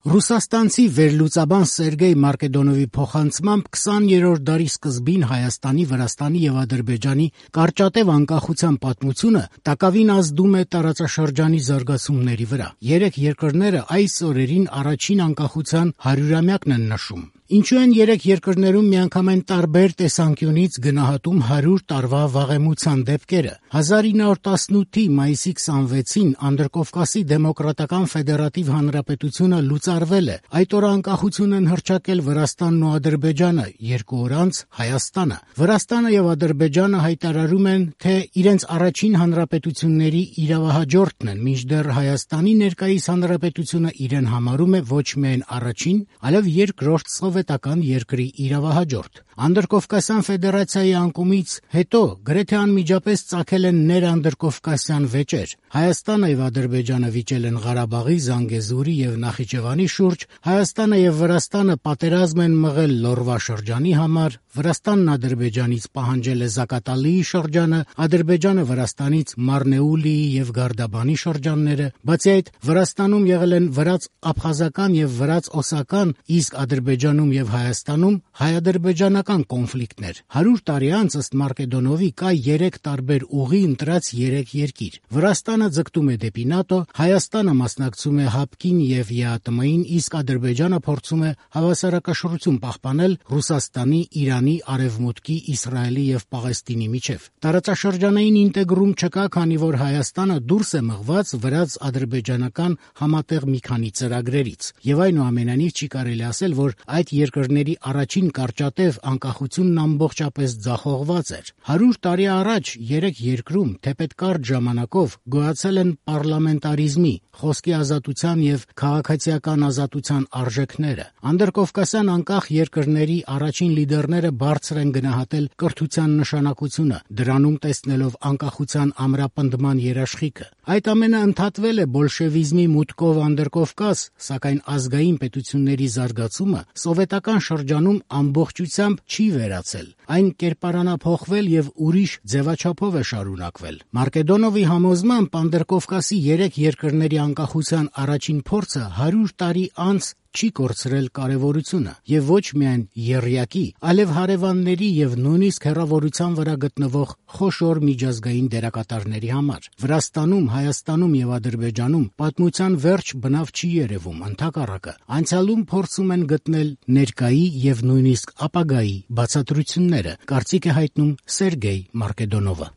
Ռուսաստանցի վերլուծաբան Սերգեյ Մարկեդոնովի փոխանցմամբ 20-րդ դարի սկզբին Հայաստանի, Վրաստանի եւ Ադրբեջանի կարճատև անկախության պատմությունը տակավին ազդում է տարածաշրջանի զարգացումների վրա։ Երեք երկրները այս օրերին առաջին անկախության 100-ամյակն են նշում։ Ինչու են երեք երկրներում միանգամայն տարբեր տեսանկյունից գնահատում 100 տարվա վաղեմության դեպքերը։ 1918-ի մայիսի 26-ին Անդրկովկասի Դեմոկրատական Ֆեդերատիվ Հանրապետությունը լուծարվել է։ Այդ օրը անկախություն են հռչակել Վրաստանն ու Ադրբեջանը, 2 օր անց Հայաստանը։ Վրաստանը եւ Ադրբեջանը հայտարարում են, թե իրենց առաջին հանրապետությունների իրավահաջորդն են, մինչդեռ Հայաստանի ներկայիս հանրապետությունը իրեն համարում է ոչ միայն առաջին, այլև երկրորդ սովետական երկրի իրավահաջորդ։ Անդրկովկասյան ֆեդերացիայի անկումից հետո գրեթե անմիջապես ծագել են ներանդրկովկասյան վեճեր։ Հայաստանը եւ Ադրբեջանը վիճել են Ղարաբաղի, Զանգեզուրի եւ Նախիջևանի շուրջ, Հայաստանը եւ Վրաստանը պատերազմ են մղել Լոռվա շրջանի համար, Վրաստանն Ադրբեջանից պահանջել է Զակատալիի շրջանը, Ադրբեջանը Վրաստանից Մարնեուլիի եւ Գարդաբանի շրջանները։ Բացի այդ, Վրաստանում եղել են վրաց-աբխազական եւ վրաց-օսական, իսկ Ադրբեջանում եւ Հայաստանում հայ-ադրբեջանական կոնֆլիկտներ։ 100 տարի անց ըստ Մարկեդոնովի կա 3 տարբեր ուղի ընտրած 3 երկիր։ Վրաստանը ձգտում է դեպի ՆԱՏՕ, Հայաստանը մասնակցում է ՀԱՊԿ-ին եւ ԵԱՏՄ-ին, իսկ Ադրբեջանը փորձում է հավասարակշռություն պահպանել Ռուսաստանի, Իրանի, Արևմուտքի, Իսրայելի եւ Պաղեստինի միջեւ։ Տարածաշրջանային ինտեգրում չկա, քանի որ Հայաստանը դուրս է մղված վրաց-ադրբեջանական համատեղ մի քանի ծրագրերից։ Եվ այնուամենայնիվ չի կարելի ասել, որ այդ երկրների առաջին կարճատև անկախությունն ամբողջապես ձախողված էր։ 100 տարի առաջ 3 երկրում թեպետ կարճ ժամանակով գոյացել են պարլամենտարիզմի, խոսքի ազատության եւ քաղաքացիական ազատության արժեքները։ Անդրկովկասյան անկախ երկրների առաջին լիդերները բարձր են գնահատել կրթության նշանակությունը, դրանում տեսնելով անկախության ամրապնդման երաշխիքը։ Այդ ամենը ընդհատվել է բոլշևիզմի մուտքով Անդրկովկաս, սակայն ազգային պետությունների զարգացումը սովետական շրջանում ամբողջությամբ չի վերացել։ Այն կերպարանափոխվել եւ ուրիշ ձևաչափով է շարունակվել։ Մարկեդոնովի համոզմամբ Անդրկովկասի 3 երկրների անկախության առաջին փորձը 100 տարի անց չի կորցրել կարևորությունը եւ ոչ միայն եռյակի, այլև հարևանների եւ նույնիսկ հեռավորության վրա գտնվող խոշոր միջազգային դերակատարների համար։ Վրաստանում, Հայաստանում եւ Ադրբեջանում պատմության վերջ բնավ չի երևում, ընդհակառակը, անցյալում փորձում են գտնել ներկայի եւ նույնիսկ ապագայի բացատրությունները, կարծիք է հայտնում Սերգեյ Մարկեդոնովը։